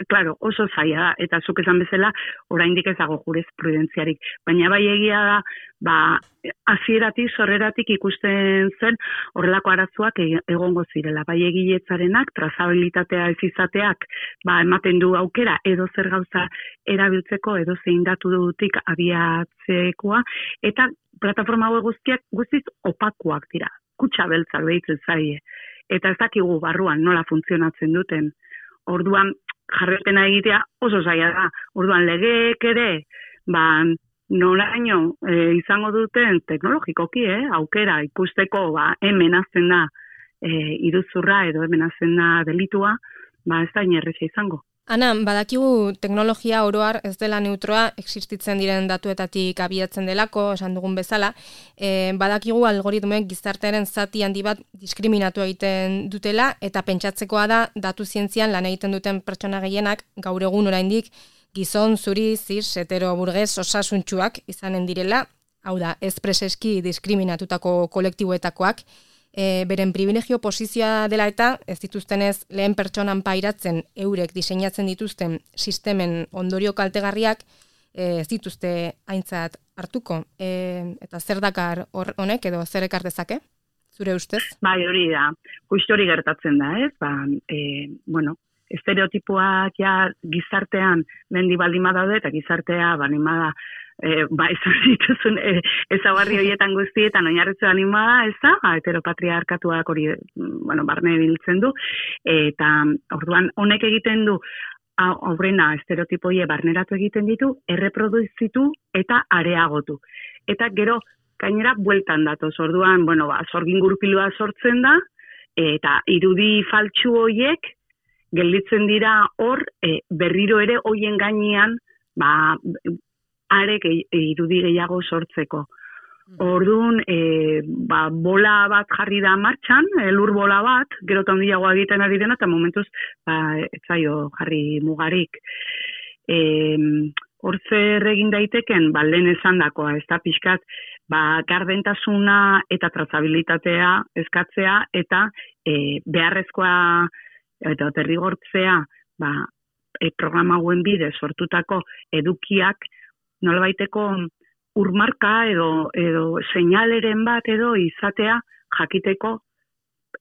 klaro, oso zaila da, eta zuk esan bezala, oraindik ez dago jurisprudentziarik, baina bai egia da, hasieratik, sorreratik ikusten zen horrelako arazoak egongo zirela. Bai egiletzarenak, trazabilitatea ez izateak, ematen du aukera, edo zer gauza erabiltzeko, edo zein datu dutik abiatzekoa, eta plataforma hauek guztiak guztiz opakoak dira, kutxa beltzak behitzen zaie. Eta ez dakigu barruan nola funtzionatzen duten. Orduan jarretena egitea oso zaila da. Orduan legeek ere, noraino izango duten teknologikoki, aukera ikusteko hemen hazen da iruzurra edo hemen hazen da delitua, ez da inerreza izango. Ana, badakigu teknologia oroar ez dela neutroa, existitzen diren datuetatik abiatzen delako, esan dugun bezala, badakigu algoritmoek gizartearen zati handi bat diskriminatu egiten dutela, eta pentsatzekoa da datu zientzian lan egiten duten pertsona gehienak gaur egun oraindik gizon, zuri, zis, hetero, burges, osasuntsuak izanen direla, hau da, ez preseski diskriminatutako kolektiboetakoak, beren privilegio posizioa dela eta ez dituztenez lehen pertsonan pairatzen eurek diseinatzen dituzten sistemen ondorio kaltegarriak ez dituzte aintzat hartuko. Eta zer dakar honek edo zer ekar dezake, zure ustez? Bai, hori da. Justu hori gertatzen da, ez? Estereotipoak gizartean mendi baldin badaude eta gizartea bada esan dituzun ezagarri horietan guztietan oinarritzen animada, ez da, heteropatriarkatuak hori barne biltzen du, eta orduan honek egiten du aurrena estereotipoie barneratu egiten ditu, erreproduzitu eta areagotu. Eta gero, gainera, bueltan datoz, orduan, sorgin gurpilua sortzen da, eta irudi faltsu horiek gelditzen dira hor, berriro ere hoien gainean, arek irudi gehiago sortzeko. Orduan, bola bat jarri da martxan, lur bola bat, gero eta handiagoa egiten ari dena, eta momentuz, ez zaio jarri mugarik. Hor zer egin daiteken, lehen esan dakoa, ez da pixkat, gardentasuna eta trazabilitatea eskatzea, eta beharrezkoa eta derrigortzea, programa hauen bidez sortutako edukiak, nolabaiteko urmarka edo seinaleren bat edo izatea jakiteko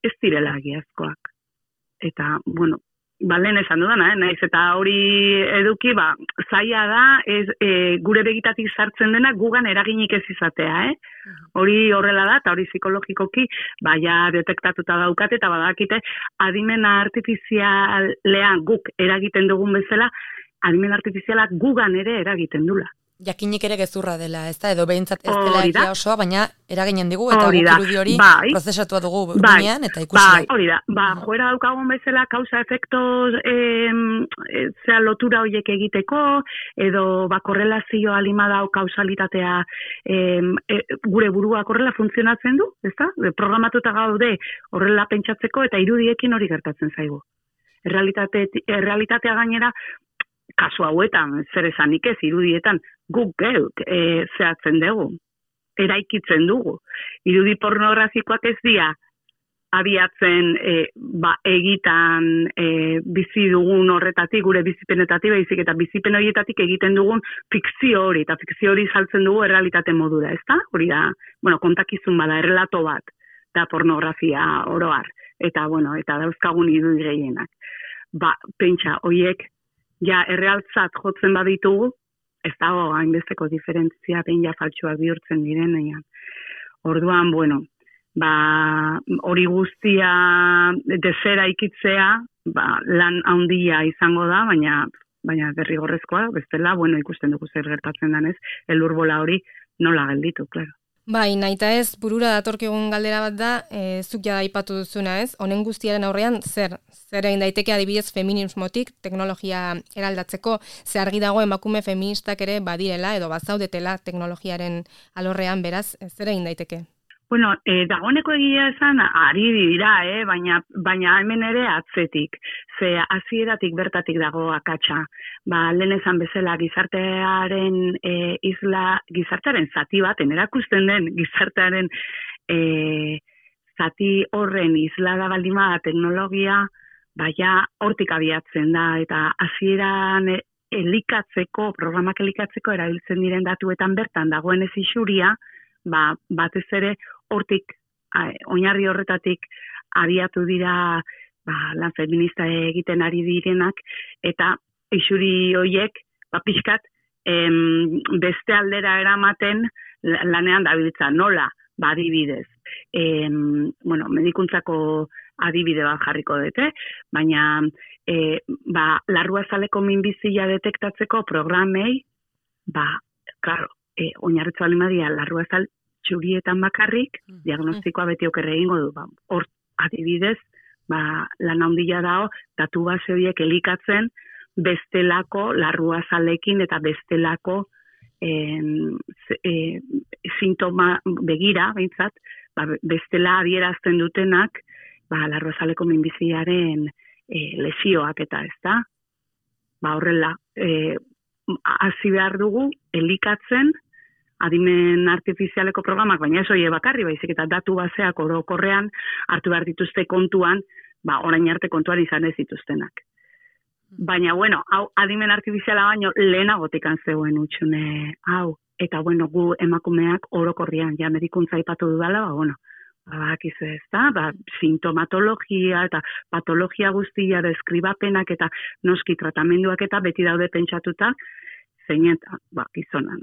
ez direla egiazkoak. Eta, bueno, lehen esan dudana, naiz eta hori eduki, zaila da, gure begitatik sartzen dena gugan eraginik ez izatea, Hori horrela da, eta hori psikologikoki, ja detektatuta daukate, eta badakite, adimen artifizialean guk eragiten dugun bezala, adimen artifizialak gugan ere eragiten dula. Jakinik ere gezurra dela, ez da, edo behintzat ez dela egia osoa, baina eraginen digu, eta guk irudi hori prozesatua dugu gunean, eta ikusi. Hori da, joera daukagun bezala, kausa-efektos lotura horiek egiteko, edo korrelazio alima dau kausalitatea gure burua horrela funtzionatzen du, ez da? Programatuta gaude horrela pentsatzeko, eta irudiekin hori gertatzen zaigu. Errealitatea gainera, kasu hauetan, zer esanik ez, irudietan, guk geuk zehatzen dugu, eraikitzen dugu. Irudi pornografikoak ez dira abiatzen egitan bizi dugun horretatik, gure bizipenetatik, baizik eta bizipen horietatik egiten dugun fikzio hori, eta fikzio hori saltzen dugu errealitate modura, ez da? Hori da, kontakizun bada, errelato bat, da pornografia oroar, eta dauzkagun irudi gehienak. Pentsa, horiek, errealtzat jotzen baditugu, ez dago hainbesteko diferentzia behin faltsuak bihurtzen direnean. Orduan, hori guztia desera ikitzea, lan handia izango da, baina derrigorrezkoa, bestela, ikusten dugu zer gertatzen denez, elurbola hori nola gelditu, klaro. Naita ez, burura datorkigun galdera bat da, zuk jada aipatu duzuna ez, honen guztiaren aurrean zer egin daiteke adibidez feminismotik, teknologia eraldatzeko, ze argi dago emakume feministak ere badirela edo bazaudetela teknologiaren alorrean, beraz, zer egin daiteke? Dagoeneko egia esan, ari dira, baina hemen ere atzetik. Ze hasieratik bertatik dago akatsa. Lehen esan bezala gizartearen gizartearen zati baten, erakusten den gizartearen zati horren islada baldima teknologia, hortik abiatzen da, eta hasieran programak elikatzeko erabiltzen diren datuetan bertan dagoen ez isuria, batez ere hortik, oinarri horretatik abiatu dira lan feminista egiten ari direnak, eta isuri horiek pixkat beste aldera eramaten lanean dabiltza, nola, adibidez. Medikuntzako adibide bat jarriko dute, baina larruazaleko minbizia detektatzeko programei, oinarritzu alimadia larruazal txurietan bakarrik, diagnostikoa beti okerre egingo du. Hor, adibidez, lan handia dago, datu base horiek elikatzen, bestelako larruazalekin eta bestelako sintoma begira, behintzat, bestela adierazten dutenak, larruazaleko minbiziaren lesioak eta ez da. Horrela, hasi behar dugu, elikatzen, adimen artifizialeko programak, baina ez hori bakarri, baizik eta datu baseak orokorrean hartu behar dituzte kontuan, orain arte kontuan izan ez dituztenak. Baina, hau adimen artifiziala baino lehenagotikan zegoen utxune hau. Eta, gu emakumeak orokorrian, medikuntza aipatu dudala, bakizu ez da, sintomatologia eta patologia guztia, deskribapenak eta noski tratamenduak eta beti daude pentsatuta, zein eta, gizonan,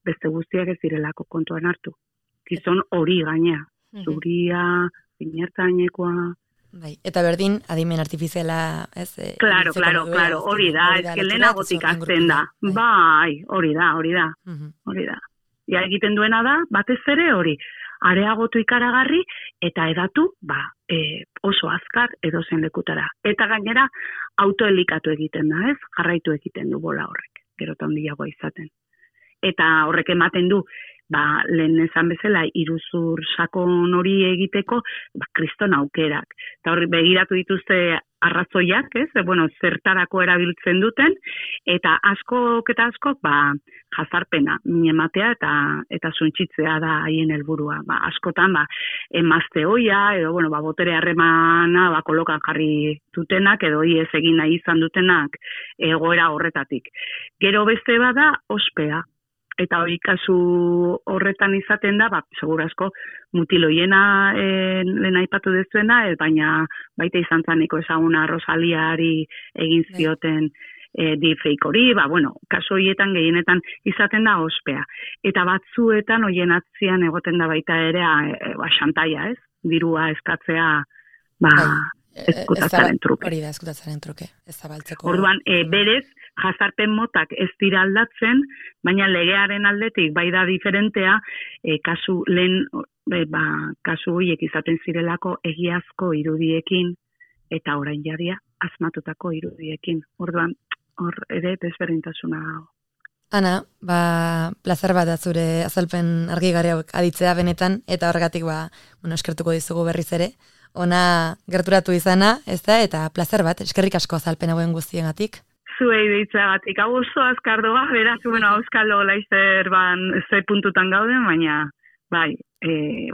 beste guztiak ez direlako kontuan hartu. Gizon hori gainea, zuria, inertainekoa. Eta berdin, adimen artifiziala, ez? Claro, hori da, ez que lehenagotik azten da. Hori da. Ja, egiten duena da, batez ere hori, areagotu ikaragarri, eta edatu, oso azkar edozen lekutara. Eta gainera, autoelikatu egiten da, ez? Jarraitu egiten du bola horrek, gero eta handiagoa izaten. eta horrek ematen du, lehen esan bezala, iruzur sakon hori egiteko, kriston aukerak. Eta horri begiratu dituzte arrazoiak, zertarako erabiltzen duten, eta askok, jazarpena, minematea eta suntxitzea da haien helburua. Askotan, emazte hoia, edo, botere harremana, kolokan jarri dutenak, edo ez egin nahi izan dutenak egoera horretatik. Gero beste bada, ospea. Eta hori kasu horretan izaten da, segura asko mutiloiena lehen aipatu dezuena, baina baita izan zaneko ezaguna Rosaliari egin zioten deepfake hori, kasu horietan gehienetan izaten da ospea. Eta batzuetan horien atzian egoten da baita ere xantaia, dirua eskatzea eskutatzaren truke. Hori da, eskutatzaren truke, ez zabaltzeko. Orduan, berez, jazarpen motak ez dira aldatzen, baina legearen aldetik bai da diferentea, kasu horiek izaten zirelako egiazko irudiekin eta orain jadia asmatutako irudiekin. Orduan, hor ere desberdintasuna dago. Ana, plazer bat da zure azalpen argigarri hauek aditzea benetan, eta horregatik eskertuko dizugu berriz ere. Ona gerturatu izana, ez da, eta plazer bat, eskerrik asko azalpen hauen guztiengatik. Zuei deitzagatik, hau oso azkardoa, beraz, auskalo laizzer ze puntutan gauden, baina,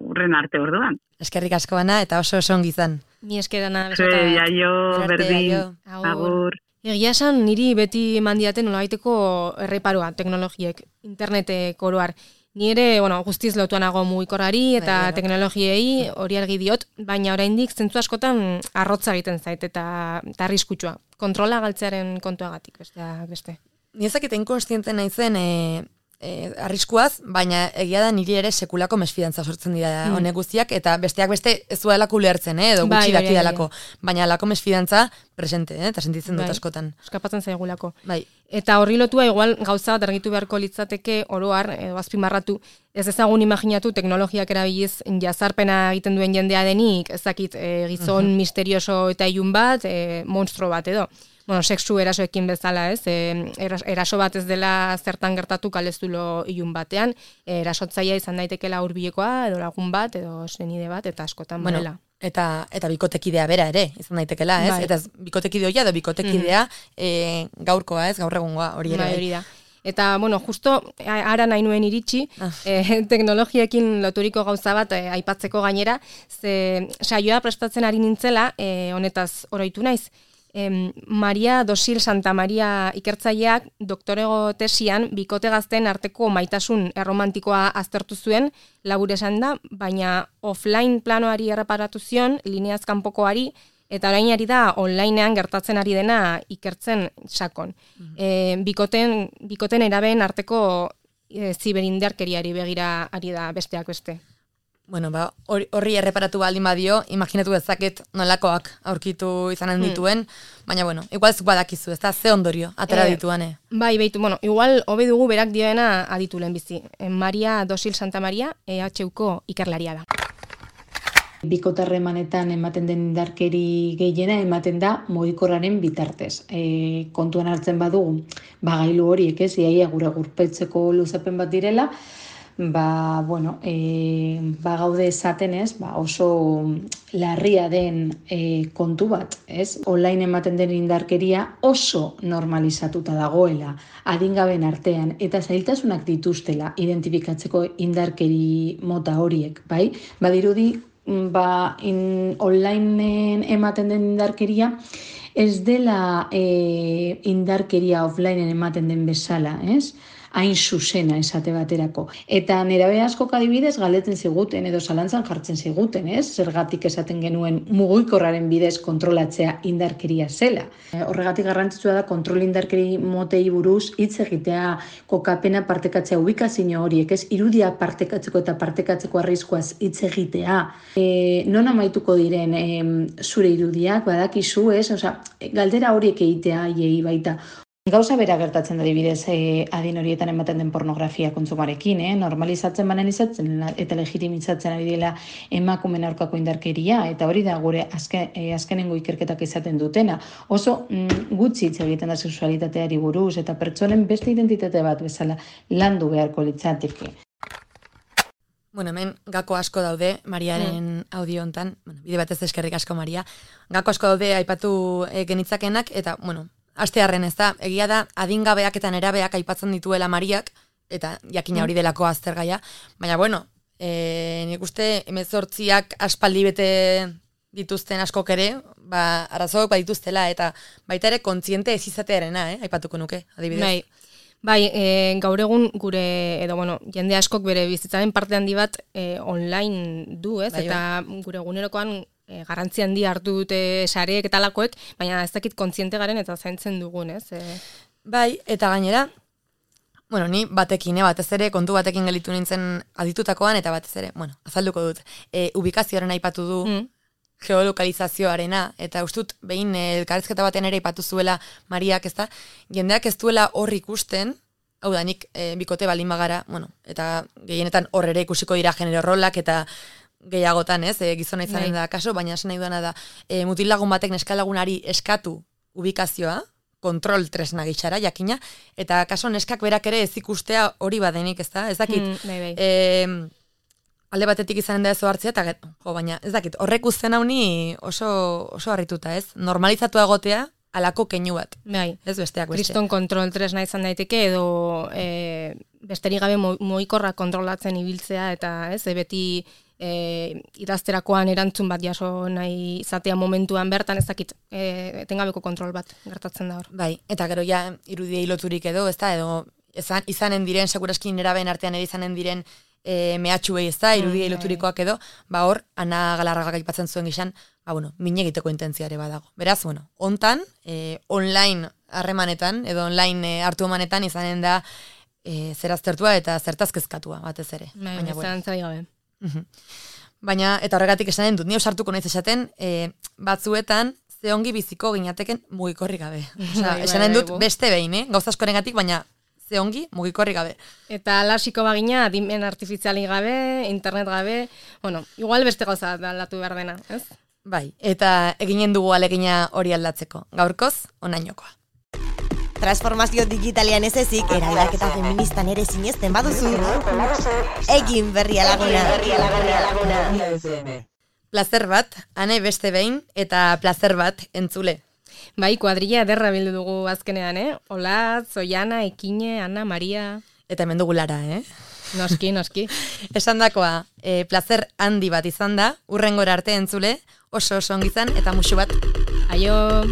urren arte orduan. Eskerrik asko Ana, eta oso ongi izan. Ni eskerana, besota. Jaio, berdin, agur. Egia esan, niri beti mandiaten nolabaiteko erreparoa teknologiek, internetek oroar. Ni ere, guztiz lotuanago mugikorrari eta teknologiei hori argi diot, baina oraindik zentzu askotan arrotza egiten zait eta arriskutsua. Kontrola galtzearen kontuagatik, beste. Ni ezakit inkonstiente naizen arriskuaz, baina egia da niri ere sekulako mesfidantza sortzen dira honek guztiak, eta besteak beste ez duelako ulertzen, edo gutxi daki dalako. Baina lako mesfidantza presente, eta sentitzen dut askotan. Eskapatzen zaigulako. Bai. Eta horri lotua igual gauza bat argitu beharko litzateke oroar, edo azpimarratu, ez ezagun imaginatu teknologiak erabiliz jazarpena egiten duen jendea denik, ezakit gizon misterioso eta ilun bat, monstro bat edo. Sexu erasoekin bezala, ez? Eraso bat ez dela zertan gertatu kaleztulo ilun batean, erasotzaia izan daitekela hurbilekoa, edo lagun bat, edo senide bat, eta askotan badela. Eta bikotekidea bera ere, izan daitekela, ez? Eta bikotekide hoia edo bikotekidea gaurkoa, ez? Gaur egungoa, hori ere. Hori da. Eta, justo, ara nahi nuen iritsi, teknologiekin loturiko gauza bat aipatzeko gainera, ze saioa prestatzen ari nintzela, honetaz oroitu naiz. Maria Dosil Santa Maria ikertzaileak doktorego tesian bikote gazteen arteko maitasun erromantikoa aztertu zuen, labur esan da, baina offline planoari erreparatu zion, lineaz kanpokoari, eta orain ari da onlinean gertatzen ari dena ikertzen sakon. Bikoten erabeen arteko ziberindarkeriari begira ari da besteak beste. Horri erreparatu baldin badio, imaginatu dezaket nolakoak aurkitu izanen dituen, baina igual zuk badakizu, ez da, ze ondorio atera dituane. Beitu, igual hobe dugu berak dioena aditu lehenbizi. Maria Dosil Santa Maria, EHUko ikerlaria da. Bikotarremanetan ematen den indarkeri gehiena ematen da mugikorraren bitartez. Kontuan hartzen badugu, gailu horiek ez, iaia gure gurpetzeko luzapen bat direla, gaude esaten ez, oso larria den kontu bat, ez? Online ematen den indarkeria oso normalizatuta dagoela, adingaben artean, eta zailtasunak dituztela identifikatzeko indarkeri mota horiek, bai? Badirudi, onlineen ematen den indarkeria, ez dela indarkeria offlineen ematen den bezala, ez? Hain zuzena esate baterako. Eta nerabe askok adibidez galdetzen ziguten edo zalantzan jartzen ziguten, ez? Zergatik esaten genuen mugikorraren bidez kontrolatzea indarkeria zela. Horregatik garrantzitsua da kontrol indarkeri motei buruz hitz egitea, kokapena partekatzea, ubikazio horiek, ez? Irudia partekatzeko eta partekatzeko arriskuaz hitz egitea. Non amaituko diren zure irudiak, badakizu, ez? Galdera horiek egitea haiei baita. Gauza bera gertatzen da adibidez adin horietan ematen den pornografia kontsumarekin, normalizatzen banan izatzen eta legitimizatzen ari dela emakumeen aurkako indarkeria, eta hori da gure azkenengo ikerketak izaten dutena. Oso gutxi hitz egiten da sexualitateari buruz, eta pertsonen beste identitate bat bezala landu beharko litzateke. Bueno, hemen gako asko daude Mariaren audio hontan, bide batez eskerrik asko Maria. Gako asko daude aipatu genitzakenak, eta, bueno, astearren ez da, egia da, adingabeak eta nerabeak aipatzen dituela Mariak, eta jakina hori delako aztergaia, baina, bueno, nik uste 18ak aspaldi bete dituzten askok ere, arazoak badituztela, eta baita ere kontziente ez izatearena, aipatuko nuke, adibidez. Bai, gaur egun gure, edo, bueno, jende askok bere bizitzaren parte handi bat online du, ez? Bai, eta gure egunerokoan garrantzi handi hartu dute sareek eta lakoek, baina ez dakit kontziente garen eta zaintzen dugun, ez? Bai, eta gainera, bueno, ni batekin, batez ere, kontu batekin gelitu nintzen aditutakoan, eta batez ere, bueno, azalduko dut, ubikazioaren aipatu du, geolokalizazioarena, eta ustut behin elkarrizketa batean ere aipatu zuela Mariak, ez da, jendeak ez duela hor ikusten, hau da, nik bikote baldin bagara, bueno, eta gehienetan hor ere ikusiko dira genero rolak, eta gehiagotan, ez, gizona izanen da kaso, baina esan nahi duena da, mutil lagun batek neskalagunari eskatu ubikazioa, kontrol tresna gitxara, jakina, eta kaso neskak berak ere ez ikustea hori badenik, ez da, ez dakit, alde batetik izanen da ez hartzea, eta baina ez dakit, horrek uzten hauni oso harrituta, ez, normalizatua egotea, alako keinu bat, ez besteak beste. Kriston kontrol tresna izan daiteke, edo besterik gabe moikorra kontrolatzen ibiltzea, eta ez, beti idazterakoan erantzun bat jaso nahi izatea momentuan bertan, ez dakit, etengabeko kontrol bat gertatzen da hor. Bai, eta gero ja irudiei loturik edo, ez da, edo izanen diren, seguraskin neraben artean ere izanen diren mehatxuei, ez da, irudiei loturikoak edo, hor, Ana Galarragak aipatzen zuen gizan, min egiteko intentziare badago. Beraz, bueno, hontan, online harremanetan, edo online hartu emanetan izanen da zeraztertua eta zertazkezkatua, batez ere. Baina, zelantzai gabe. Baina, eta horregatik esanen dut, ni osartuko naiz esaten, batzuetan, ze ongi biziko ginateken mugikorrik gabe. Esanen dut beste behin, gauza askorengatik, baina ze ongi mugikorrik gabe. Eta lasiko bagina, adimen artifiziali gabe, internet gabe, bueno, igual beste gauza aldatu behar dena, ez? Bai, eta eginen dugu alegina hori aldatzeko. Gaurkoz, onainokoa. Transformazio digitalian ez ezik, eraldaketa feministan ere sinesten baduzu, egin Berria Laguna. Plazer bat, ane beste behin, eta plazer bat entzule. Bai, kuadrilla ederra bildu dugu azkenean, Olatz, Oiana, Ekine, Ana, Maria. Eta hemen dugu Lara, Noski. Esandakoa, plazer handi bat izan da, hurrengora arte entzule, oso ongizan, eta musu bat. Aio!